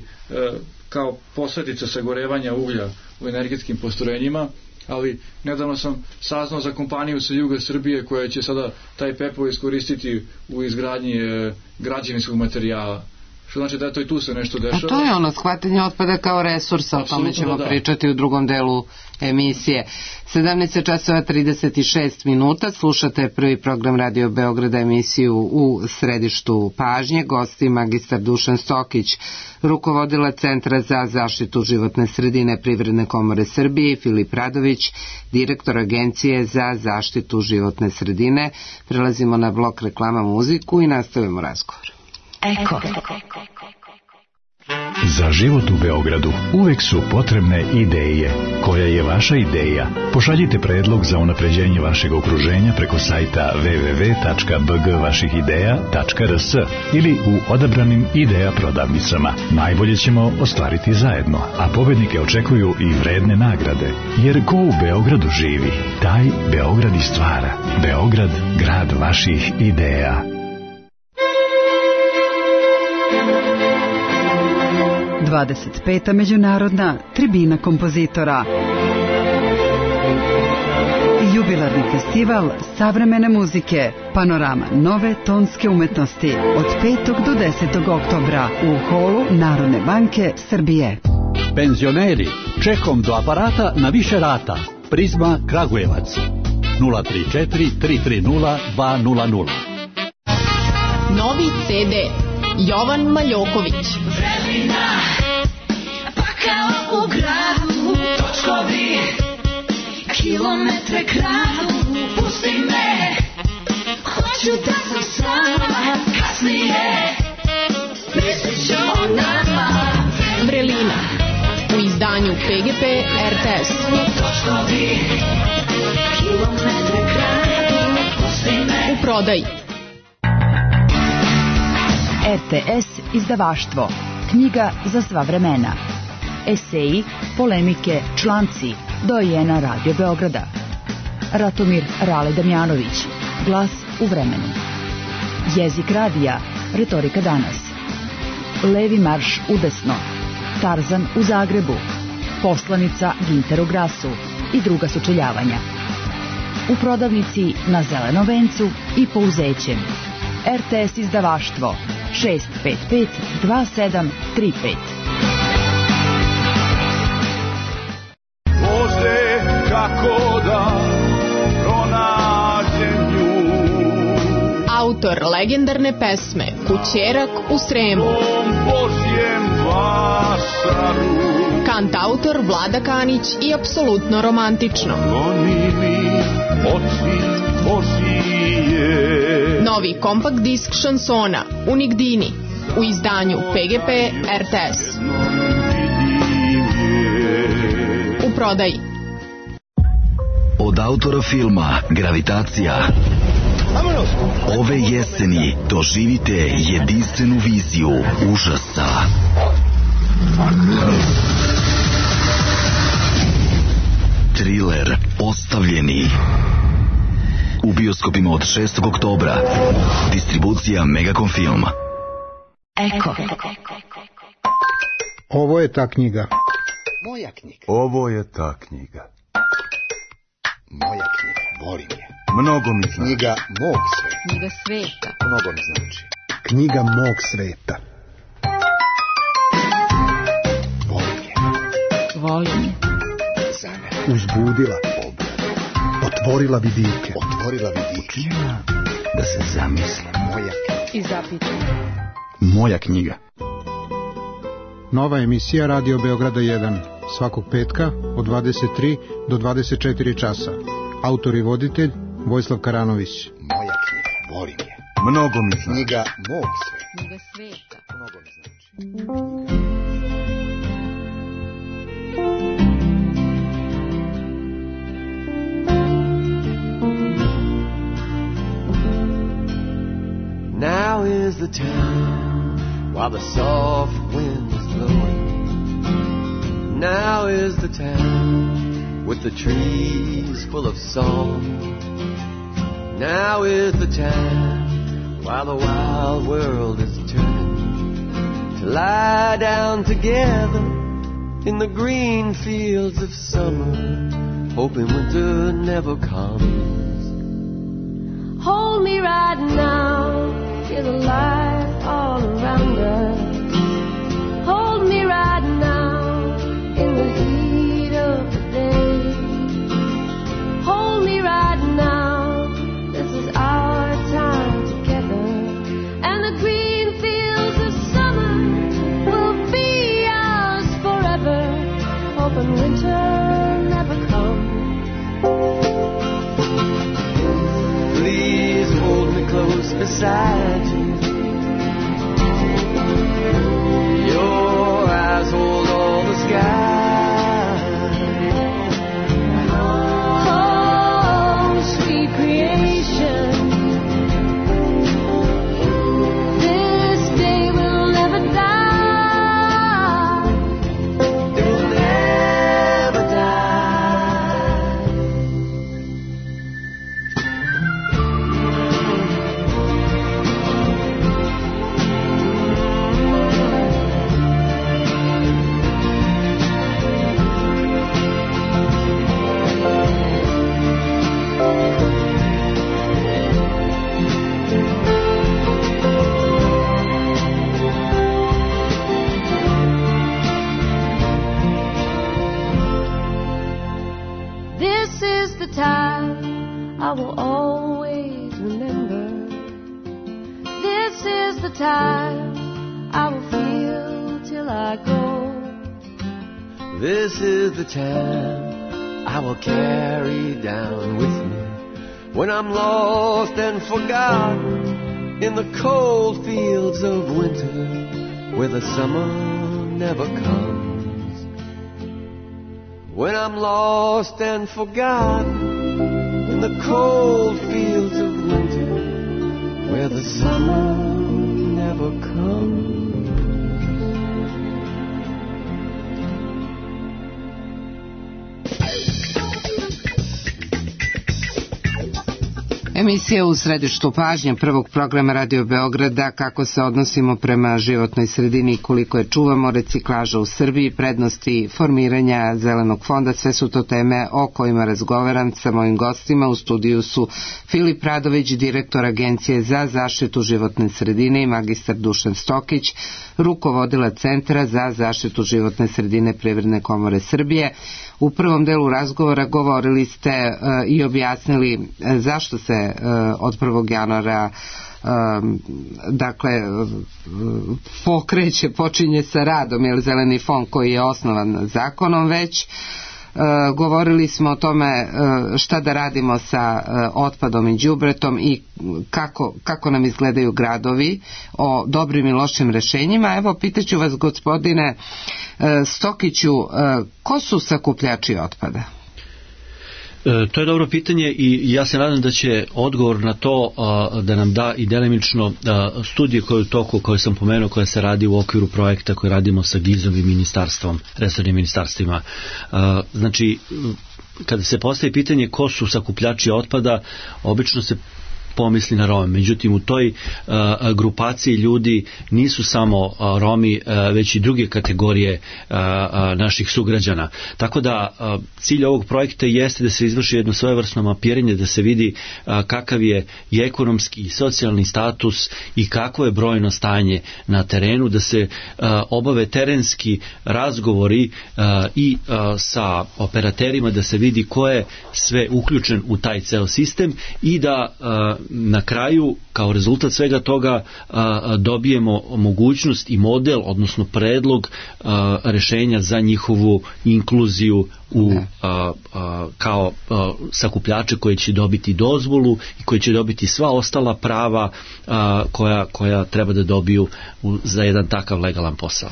kao posljedica sagorevanja uglja u energetskim postrojenjima, ali nedavno sam saznao za kompaniju sa juga Srbije koja će sada taj pepeo iskoristiti u izgradnji e, građevinskog materijala. Što znači da je to i tu se nešto dešava. A to je ono, shvatanje otpada kao resursa, o tome ćemo da, da. pričati u drugom delu emisije. sedamnaest časova trideset šest minuta, slušate prvi program Radio Beograda, emisiju U središtu pažnje. Gosti magistar Dušan Stokić, rukovodila Centra za zaštitu životne sredine Privredne komore Srbije, i Filip Radović, direktor Agencije za zaštitu životne sredine. Prelazimo na blok reklama, muziku i nastavimo razgovor. Eko. Za život u Beogradu uvek su potrebne ideje. Koja je vaša ideja? Pošaljite predlog za unapređenje vašeg okruženja preko sajta w w w tačka b g vaših ideja tačka r s ili u odabranim ideja prodavnicama. Najbolje ćemo ostvariti zajedno, a pobednike očekuju i vredne nagrade. Jer ko u Beogradu živi, taj Beograd i stvara. Beograd, grad vaših ideja. dvadeset peta međunarodna tribina kompozitora. Jubilarni festival savremene muzike, panorama nove tonske umetnosti od petog do desetog oktobra u holu Narodne banke Srbije. Penzioneri, čekom do aparata na više rata. Prizma Kragujevac nula tri četiri tri tri nula dva nula nula. Novi ce de Jovan Maljoković. Vremena, pa kao u gradu, točkovi, kilometre kradu, pusti me, hoću da sam sama, kasnije, mislit ću o nama. Vrelina, u izdanju pe ge pe er te es. Točkovi, kilometre kradu, pusti me. U prodaji er te es izdavaštvo. Knjiga za sva vremena. Eseji, polemike, članci. Dojena Radio Beograda. Ratomir Rale Damjanović. Glas u vremenu. Jezik radija. Retorika danas. Levi marš udesno. Tarzan u Zagrebu. Poslanica Ginter u Grasu i druga sučeljavanja. U prodavnici na Zelenom vencu i Pouzećem. er te es izdavaštvo šest pet pet dva sedam tri pet. Bože, kako da pronađem nju. Autor legendarne pesme Kućerak u Sremu. Tom Božjem vašaru. Kantautor Vlada Kanić i apsolutno romantično. Novi kompakt disk šansona Unigdini u izdanju P G P R T S. U prodaji. Od autora filma Gravitacija ove jeseni doživite jedinstvenu viziju užasa. Triler Ostavljeni u bioskopima od šestog oktobra. Distribucija Megacom Film. Eko. Ovo je ta knjiga. Moja knjiga. Ovo je ta knjiga. Moja knjiga. Volim je. Mnogo mi znači. Knjiga mog sveta. Knjiga sveta. Mnogo mi znači. Knjiga mog sveta. Volim je. Volim je. Za mene. Uzbudila. Otvorila vidike. Otvorila vidike. Da se zamislim. Moja knjiga. I zapitam. Moja knjiga. Nova emisija Radio Beograda jedan. Svakog petka od dvadeset tri do dvadeset četiri časa. Autor i voditelj Vojislav Karanović. Moja knjiga. Volim je. Mnogo mi znači. Knjiga mog sveta. Knjiga sveta. Mnogo mi znači. Now is the time while the soft wind is blowing. Now is the time with the trees full of song. Now is the time while the wild world is turning to lie down together in the green fields of summer, hoping winter never comes. Hold me right now, feel the light all around us. Hold me right now in the heat of the day. Hold me right now, this is our time together. And the green fields of summer will be ours forever, hoping winter never comes. Please hold me close beside you. Your eyes hold all the sky. Oh, sweet creation, this day will never die. It will never die. This is the time I will always remember. This is the time I will feel till I go. This is the time I will carry down with me when I'm lost and forgotten in the cold fields of winter where the summer never comes. When I'm lost and forgotten in the cold fields of winter where the summer never comes. Emisija u središtu pažnje prvog programa Radio Beograda, kako se odnosimo prema životnoj sredini i koliko je čuvamo, reciklaža u Srbiji, prednosti formiranja zelenog fonda, sve su to teme o kojima razgovaram sa mojim gostima. U studiju su Filip Radović, direktor Agencije za zaštitu životne sredine, i magistar Dušan Stokić, rukovodila Centra za zaštitu životne sredine Privredne komore Srbije. U prvom delu razgovora govorili ste uh, i objasnili uh, zašto se uh, od prvog januara dakle pokreće, počinje sa radom, jer zeleni fond koji je osnovan zakonom već. E, govorili smo o tome e, šta da radimo sa e, otpadom i đubretom i kako, kako nam izgledaju gradovi, o dobrim i lošim rešenjima. Evo, pitaću vas, gospodine e, Stokiću, e, ko su sakupljači otpada? E, to je dobro pitanje i ja se nadam da će odgovor na to a, da nam da i delimično a, studije koje u toku, koje sam pomenuo, koja se radi u okviru projekta koji radimo sa GIZ-om i ministarstvom, resornim ministarstvima. A, znači, kada se postavi pitanje ko su sakupljači otpada, obično se pomisli na Rome. Međutim, u toj uh, grupaciji ljudi nisu samo uh, Romi, uh, već i druge kategorije uh, uh, naših sugrađana. Tako da uh, cilj ovog projekta jeste da se izvrši jedno svojevrsno mapiranje, da se vidi uh, kakav je i ekonomski i socijalni status i kakvo je brojno stanje na terenu, da se uh, obave terenski razgovori uh, i uh, sa operaterima, da se vidi ko je sve uključen u taj ceo sistem i da uh, na kraju, kao rezultat svega toga, a, dobijemo mogućnost i model, odnosno predlog a, rešenja za njihovu inkluziju u, a, a, kao a, sakupljače koji će dobiti dozvolu i koji će dobiti sva ostala prava a, koja, koja treba da dobiju u, za jedan takav legalan posao.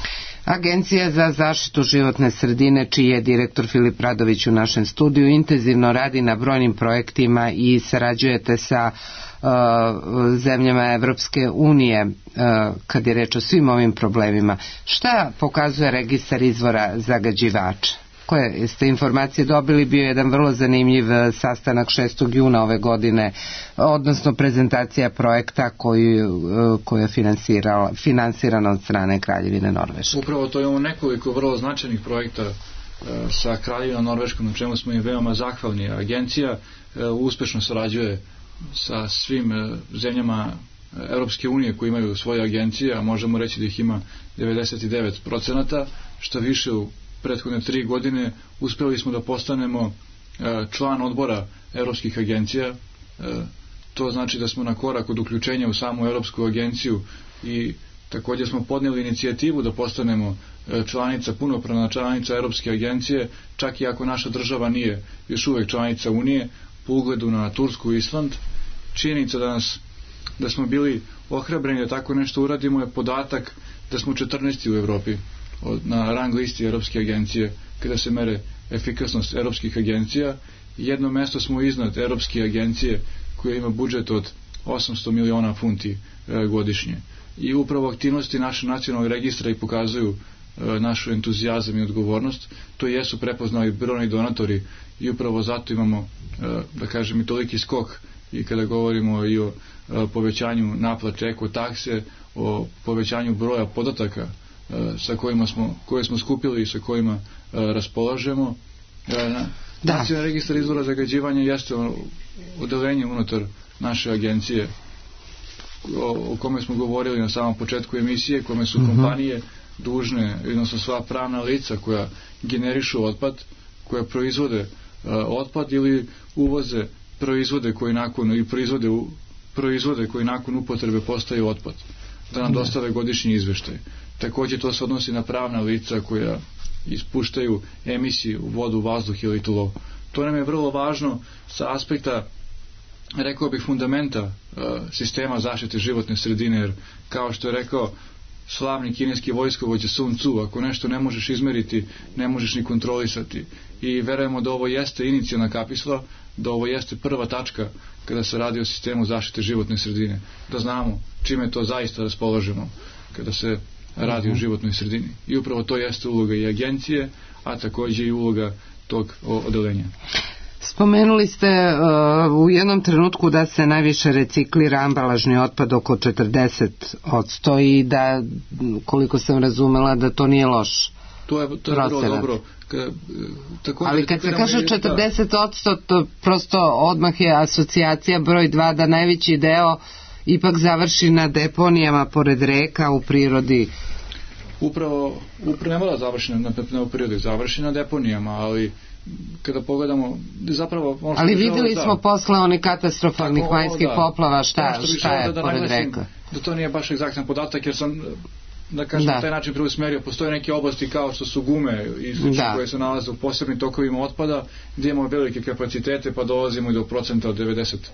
Agencija za zaštitu životne sredine, čiji je direktor Filip Radović u našem studiju, intenzivno radi na brojnim projektima i sarađujete sa uh, zemljama Evropske unije uh, kad je reč o svim ovim problemima. Šta pokazuje registar izvora zagađivača? Koje ste informacije dobili? Bio je jedan vrlo zanimljiv sastanak šestog juna ove godine, odnosno prezentacija projekta koju, koju je finansirana od strane Kraljevine Norveške. Upravo to imamo nekoliko vrlo značajnih projekta sa Kraljevinom Norveškom, na čemu smo im veoma zahvalni. Agencija uspešno sarađuje sa svim zemljama Evropske unije koji imaju svoje agencije, a možemo reći da ih ima devedeset devet procenata, što više u prethodne tri godine uspeli smo da postanemo član odbora evropskih agencija. To znači da smo na korak od uključenja u samu Evropsku agenciju i također smo podnijeli inicijativu da postanemo članica, punopravna članica Evropske agencije, čak i ako naša država nije još uvek članica Unije, po ugledu na Tursku i Island. Činjenica da nas da smo bili ohrabreni da tako nešto uradimo je podatak da smo četrnaesti u Evropi na rang listi Evropske agencije kada se mere efikasnost evropskih agencija. Jedno mesto smo iznad Evropske agencije koja ima budžet od osamsto miliona funti e, godišnje. I upravo aktivnosti naše nacionalnog registra i pokazuju e, našu entuzijazam i odgovornost. To jesu prepoznali brojni donatori i upravo zato imamo, e, da kažem, i toliki skok i kada govorimo i o e, povećanju naplate eko takse, o povećanju broja podataka sa kojima smo, koje smo skupili i sa kojima uh, raspolažemo. Na, Nacionalni registar izvora zagađivanja jeste odelenje unutar naše agencije o, o kome smo govorili na samom početku emisije, kome su uh-huh. kompanije dužne, odnosno sva pravna lica koja generišu otpad, koja proizvode uh, otpad ili uvoze proizvode koji nakon i proizvode, u, proizvode koji nakon upotrebe postaju otpad, da nam dostave godišnji izveštaj. Također to se odnosi na pravna lica koja ispuštaju emisiju u vodu, vazduh ili tlo. To nam je vrlo važno sa aspekta, rekao bih, fundamenta uh, sistema zaštite životne sredine, jer kao što je rekao slavni kineski vojskovođa Sun Tzu, ako nešto ne možeš izmeriti, ne možeš ni kontrolisati. I verujemo da ovo jeste inicijalna kapisla, da ovo jeste prva tačka kada se radi o sistemu zaštite životne sredine, da znamo čime to zaista raspolažemo kada se radi o životnoj sredini. I upravo to jeste uloga i agencije, a također i uloga tog odelenja. Spomenuli ste uh, u jednom trenutku da se najviše reciklira ambalažni otpad, oko četrdeset posto, i da, koliko sam razumela, da to nije loš. To je, to je vrlo dobro. Ka, također, ali kad se kaže četrdeset posto, to prosto odmah je asocijacija broj dva da najveći deo ipak završi na deponijama pored reka u prirodi. Upravo, upravo ne mora završi na, na, na u prirodi, završi na deponijama, ali kada pogledamo zapravo... Ono ali vidjeli smo da, posle onih katastrofalnih vanjskih poplava šta, šta je da, pored reka. Da to nije baš egzaktan podatak, jer sam da kažem na taj način preusmerio. Postoje neke oblasti kao što su gume i slično koje se nalaze u posebnim tokovima otpada gdje imamo velike kapacitete pa dolazimo i do procenta od devedeset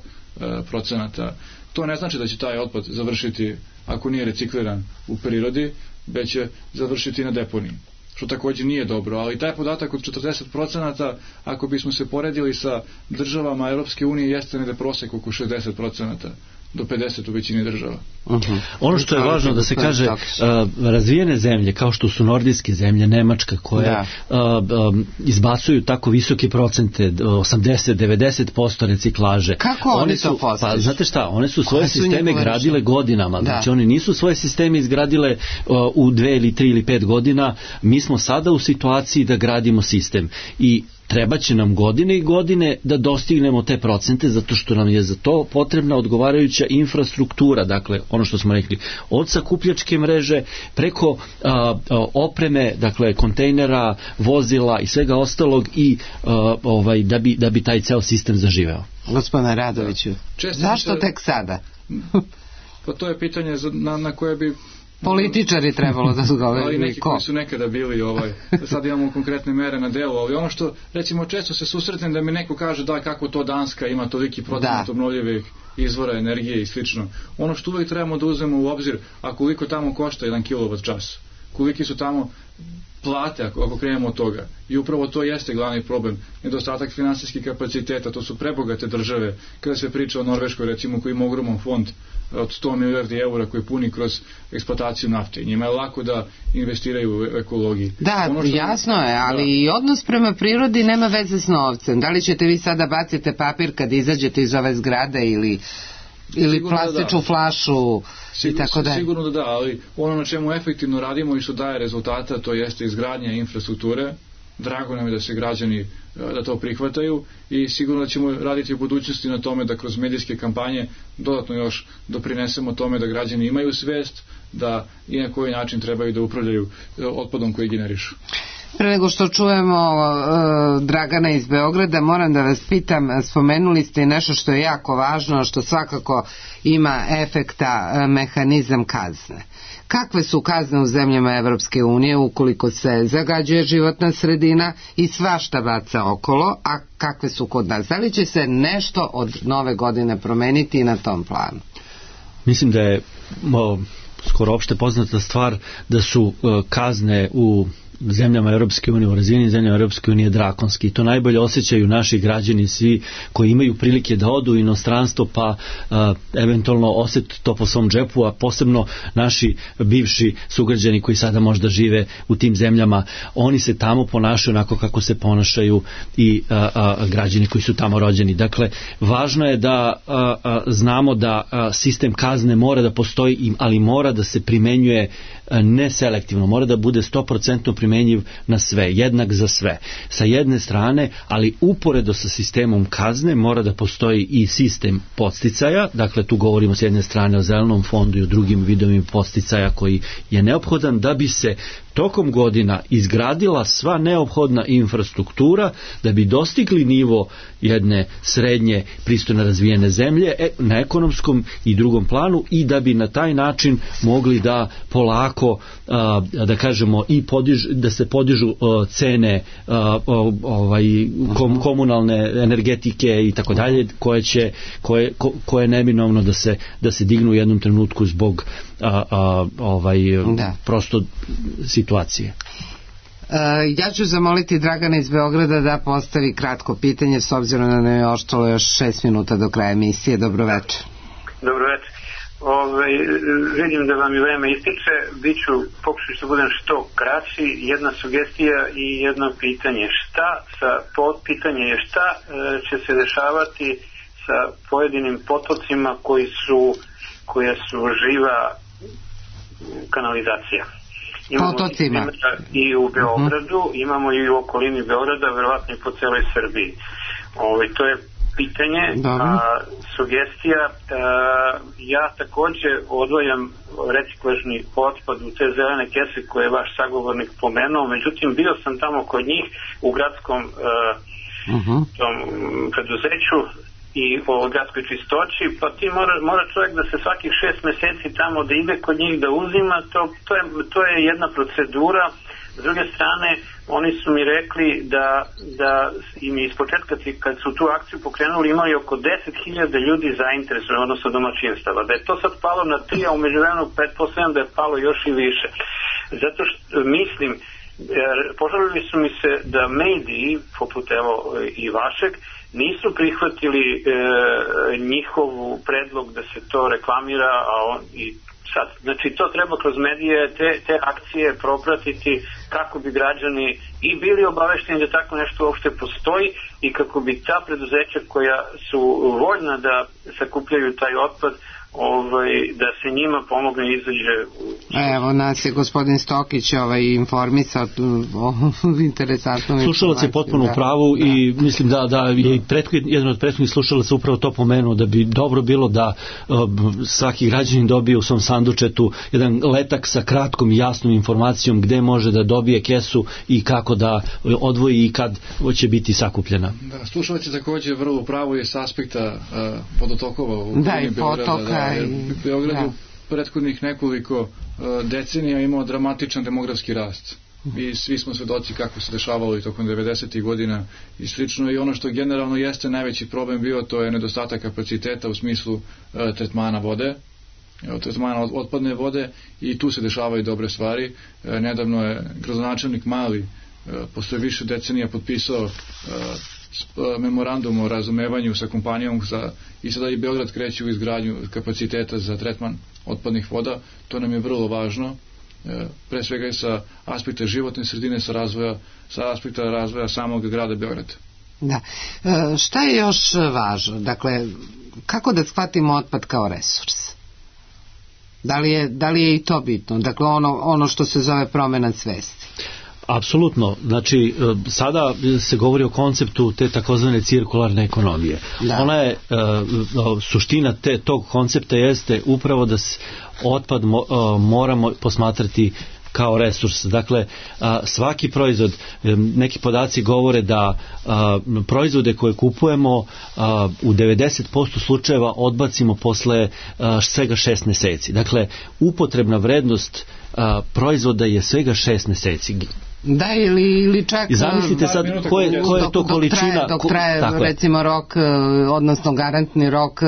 procenata. To ne znači da će taj otpad završiti, ako nije recikliran u prirodi, već će završiti na deponiji, što također nije dobro, ali taj podatak od četrdeset procenata, ako bismo se poredili sa državama Europske unije, jeste negde prosek oko šezdeset procenata do pedeset u većini država. Uh-huh. Ono što je važno da se kaže, uh, razvijene zemlje kao što su nordijske zemlje, Nemačka, koje uh, um, izbacuju tako visoke procente, osamdeset do devedeset posto reciklaže. Kako oni, oni to postižu? Pa znate šta, one su svoje su sisteme gradile godinama, da. Znači oni nisu svoje sisteme izgradile uh, u dve ili tri ili pet godina, mi smo sada u situaciji da gradimo sistem i treba će nam godine i godine da dostignemo te procente, zato što nam je za to potrebna odgovarajuća infrastruktura, dakle ono što smo rekli, od sakupljačke mreže preko a, a, opreme, dakle kontejnera, vozila i svega ostalog i a, ovaj, da bi, da bi taj ceo sistem zaživeo. Gospodine Radoviću, zašto tek sada? Pa to je pitanje na, na koje bi političari trebalo da su govori. Ali neki koji su nekada bili, ovaj, sad imamo konkretne mere na delu, ali ono što, recimo, često se susretnem da mi neko kaže da kako to Danska ima toliki procenat obnovljivih izvora energije i slično. Ono što uvijek trebamo da uzmemo u obzir, a koliko tamo košta jedan kilovat čas, koliki su tamo plate ako, ako krenemo od toga. I upravo to jeste glavni problem. Nedostatak finansijskih kapaciteta, to su prebogate države. Kada se priča o Norveškoj, recimo, koji ima ogroman fond od sto milijardi eura koji puni kroz eksploataciju nafte. I njima je lako da investiraju u ekologiji. Da, ono što... jasno je, ali da. I odnos prema prirodi nema veze s novcem. Da li ćete vi sada bacite papir kad izađete iz ove zgrade ili ili sigurno plastičnu da flašu Sigur, i tako dalje. Sigurno da da, ali ono na čemu efektivno radimo i što daje rezultata, to jeste izgradnja infrastrukture. Drago nam je da se građani da to prihvataju i sigurno da ćemo raditi u budućnosti na tome da kroz medijske kampanje dodatno još doprinesemo tome da građani imaju svest da i na koji način trebaju da upravljaju otpadom koji generišu. Pre nego što čujemo uh, Dragana iz Beograda, moram da vas pitam, spomenuli ste nešto što je jako važno, što svakako ima efekta, uh, mehanizam kazne. Kakve su kazne u zemljama Evropske unije ukoliko se zagađuje životna sredina i svašta baca okolo, a kakve su kod nas? Da li će se nešto od nove godine promeniti i na tom planu? Mislim da je o, skoro opšte poznata stvar da su o, kazne u zemljama Europske unije, u razvijenim zemljama Europske unije drakonski. To najbolje osjećaju naši građani, svi koji imaju prilike da odu u inostranstvo pa a, eventualno osjeti to po svom džepu, a posebno naši bivši sugrađani koji sada možda žive u tim zemljama, oni se tamo ponašaju onako kako se ponašaju i a, a, građani koji su tamo rođeni. Dakle, važno je da a, a, znamo da a, sistem kazne mora da postoji, ali mora da se primenjuje ne selektivno, mora da bude sto posto primenjiv na sve, jednak za sve. Sa jedne strane, ali uporedo sa sistemom kazne mora da postoji i sistem podsticaja, dakle tu govorimo s jedne strane o zelenom fondu i o drugim vidovima podsticaja koji je neophodan da bi se tokom godina izgradila sva neophodna infrastruktura da bi dostigli nivo jedne srednje pristojno razvijene zemlje na ekonomskom i drugom planu i da bi na taj način mogli da polako da kažemo i podiž, da se podižu cene ovaj kom, komunalne energetike i tako dalje koje će koje koje neminovno da se da se dignu u jednom trenutku zbog a, a, ovaj da. prosto situacije. Uh, ja ću zamoliti Dragana iz Beograda da postavi kratko pitanje s obzirom da nam je ostalo još šest minuta do kraja emisije. Dobro večer. Dobro večer. Ove, vidim da vam i vreme ističe, biću pokušati da budem što kraći. Jedna sugestija i jedno pitanje. Šta sa potpitanje je šta e, će se dešavati sa pojedinim potocima koji su koja su živa kanalizacija. Imamo i u Beogradu, uh-huh. imamo i u okolini Beograda, verovatno i po celoj Srbiji. Ove, to je pitanje, Dobro. a sugestija, a, ja takođe odvojam reciklažni otpad u te zelene kese koje je vaš sagovornik pomenuo, međutim bio sam tamo kod njih u gradskom a, uh-huh. tom preduzeću i o gradskoj čistoći, pa ti mora, mora čovjek da se svakih šest meseci tamo da ide kod njih da uzima, to, to, je, to je jedna procedura. S druge strane, oni su mi rekli da, da im iz početka kad su tu akciju pokrenuli imali oko deset hiljada ljudi zainteresovani, odnosno domaćinstava. Da je to sad palo na tri, a u međuvremenu pretpostavljam da je palo još i više. Zato što mislim, požalili su mi se da mediji, poput evo i vašeg, nisu prihvatili e, njihovu predlog da se to reklamira, a on i sad, znači to treba kroz medije te, te akcije propratiti kako bi građani i bili obavešteni da tako nešto uopšte postoji i kako bi ta preduzeća koja su voljna da sakupljaju taj otpad, ovaj, da se njima pomogne izađe u... Evo, nas je gospodin Stokić ovaj, informisao o interesantnom... Slušalac je potpuno u pravu da. I mislim da, da je pretkud, jedan od prethodnih slušalaca upravo to pomenuo, da bi dobro bilo da uh, svaki građanin dobije u svom sandučetu jedan letak sa kratkom i jasnom informacijom gde može da dobije kesu i kako da odvoji i kad će biti sakupljena. Da, slušalac je također vrlo u pravu je s aspekta uh, vodotokova u da, i potoka. Beograd je u prethodnih nekoliko uh, decenija imao dramatičan demografski rast i svi smo svedoci kako se dešavalo i tokom devedesetih godina i slično i ono što generalno jeste najveći problem bio to je nedostatak kapaciteta u smislu uh, tretmana vode, tretmana otpadne vode i tu se dešavaju dobre stvari. Uh, nedavno je gradonačelnik Mali uh, posle više decenija potpisao uh, memorandum o razumevanju sa kompanijom za, i sada i Beograd kreće u izgradnju kapaciteta za tretman otpadnih voda. To nam je vrlo važno, pre svega i sa aspekta životne sredine, sa, razvoja, sa aspekta razvoja samog grada Beograda. Da. E, šta je još važno? Dakle, kako da shvatimo otpad kao resurs? Da li je, da li je i to bitno? Dakle, ono, ono što se zove promena svesti. Apsolutno, znači sada se govori o konceptu te takozvane cirkularne ekonomije. Da. Ona je, suština te, tog koncepta jeste upravo da se otpad moramo posmatrati kao resurs. Dakle, svaki proizvod, neki podaci govore da proizvode koje kupujemo u devedeset posto slučajeva odbacimo posle svega šest meseci. Dakle, upotrebna vrednost proizvoda je svega šest meseci. Da, ili, ili čak... I zamislite sad koje, koje je to količina... Dok traje, dok traje recimo rok, odnosno garantni rok,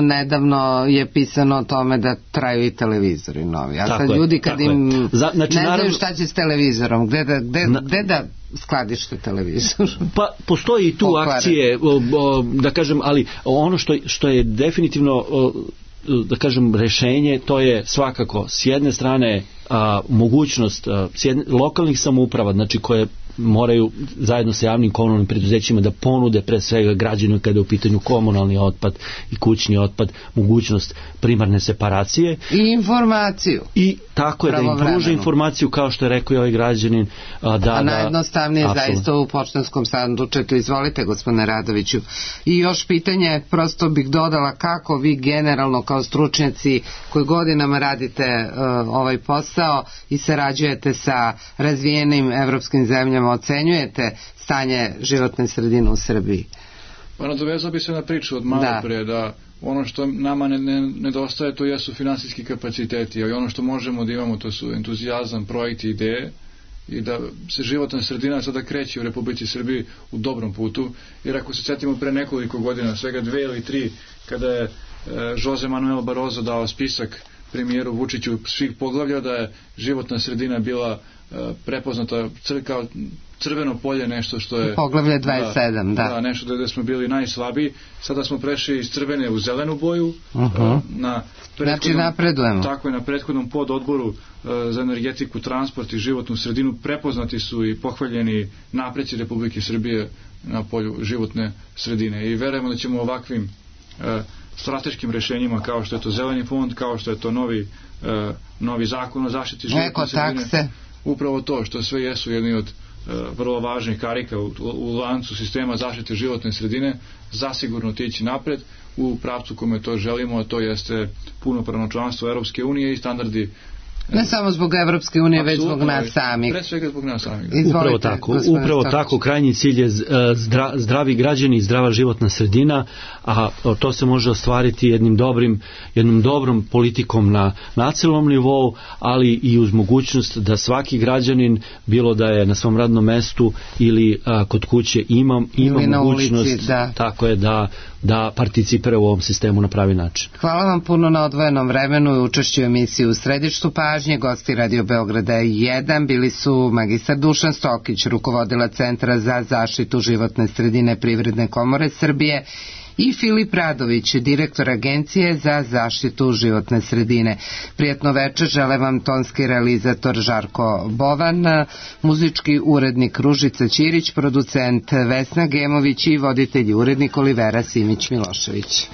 nedavno je pisano o tome da traju i televizori novi. A sad ljudi kad im Za, znači, ne znaju šta će s televizorom, gde da, gde, na, gde da skladište televizor? Pa postoji i tu Pokvare. akcije, o, o, da kažem, ali ono što, što je definitivno... O, da kažem rešenje, to je svakako s jedne strane a, mogućnost a, s jedne, lokalnih samouprava, znači koje moraju zajedno sa javnim komunalnim preduzećima da ponude pre svega građanima kada je u pitanju komunalni otpad i kućni otpad, mogućnost primarne separacije i informaciju i tako je da im pruže informaciju kao što je rekao i ovaj građanin a, da, a najjednostavnije da, zaista u poštanskom sandučetu. Izvolite gospodine Radoviću. I još pitanje, prosto bih dodala kako vi generalno kao stručnjaci koji godinama radite uh, ovaj posao i sarađujete sa razvijenim evropskim zemljama ocenjujete stanje životne sredine u Srbiji? Pa nadovezao bi se na priču od malo da. pre da ono što nama ne, ne, nedostaje to jesu finansijski kapaciteti, ali ono što možemo da imamo to su entuzijazam, projekti, ideje i da se životna sredina sada kreće u Republici Srbiji u dobrom putu, jer ako se setimo pre nekoliko godina, svega dve ili tri, kada je e, Jose Manuel Barroso dao spisak premijeru Vučiću svih poglavlja da je životna sredina bila e, prepoznata cr, kao crveno polje, nešto što je poglavlje dvadeset sedam, da, da. da nešto da smo bili najslabiji, sada smo prešli iz crvene u zelenu boju. Uh-huh. na znači napredujemo. Tako je, na prethodnom pododboru uh, za energetiku, transport i životnu sredinu prepoznati su i pohvaljeni napreci Republike Srbije na polju životne sredine i verujemo da ćemo ovakvim uh, strateškim rešenjima kao što je to zeleni fond, kao što je to novi, uh, novi zakon o zaštiti životne sredine, upravo to što sve jesu jedni od vrlo važnih karika u, u lancu sistema zaštite životne sredine, zasigurno tići napred u pravcu kome to želimo, a to jeste punopravno članstvo Europske unije i standardi. Ne samo zbog Evropske unije, već zbog nas samih. Pre svega zbog nas samih. Izvolite, upravo tako, gospodine upravo Stokić. tako, krajnji cilj je zdra, zdravi građani i zdrava životna sredina, a to se može ostvariti jednim dobrim, jednom dobrom politikom na nacionalnom nivou, ali i uz mogućnost da svaki građanin, bilo da je na svom radnom mestu ili a, kod kuće, ima, ima na mogućnost ulici, da. tako je da, da participira u ovom sistemu na pravi način. Hvala vam puno na odvojenom vremenu i učešću u emisiji U središtu pažnje. Gosti Radio Beograda jedan bili su magistar Dušan Stokić, rukovodilac Centra za zaštitu životne sredine Privredne komore Srbije, i Filip Radović, direktor Agencije za zaštitu životne sredine. Prijatno večer žele vam tonski realizator Žarko Bovan, muzički urednik Ružica Ćirić, producent Vesna Gemović i voditelj i urednik Olivera Simić Milošević.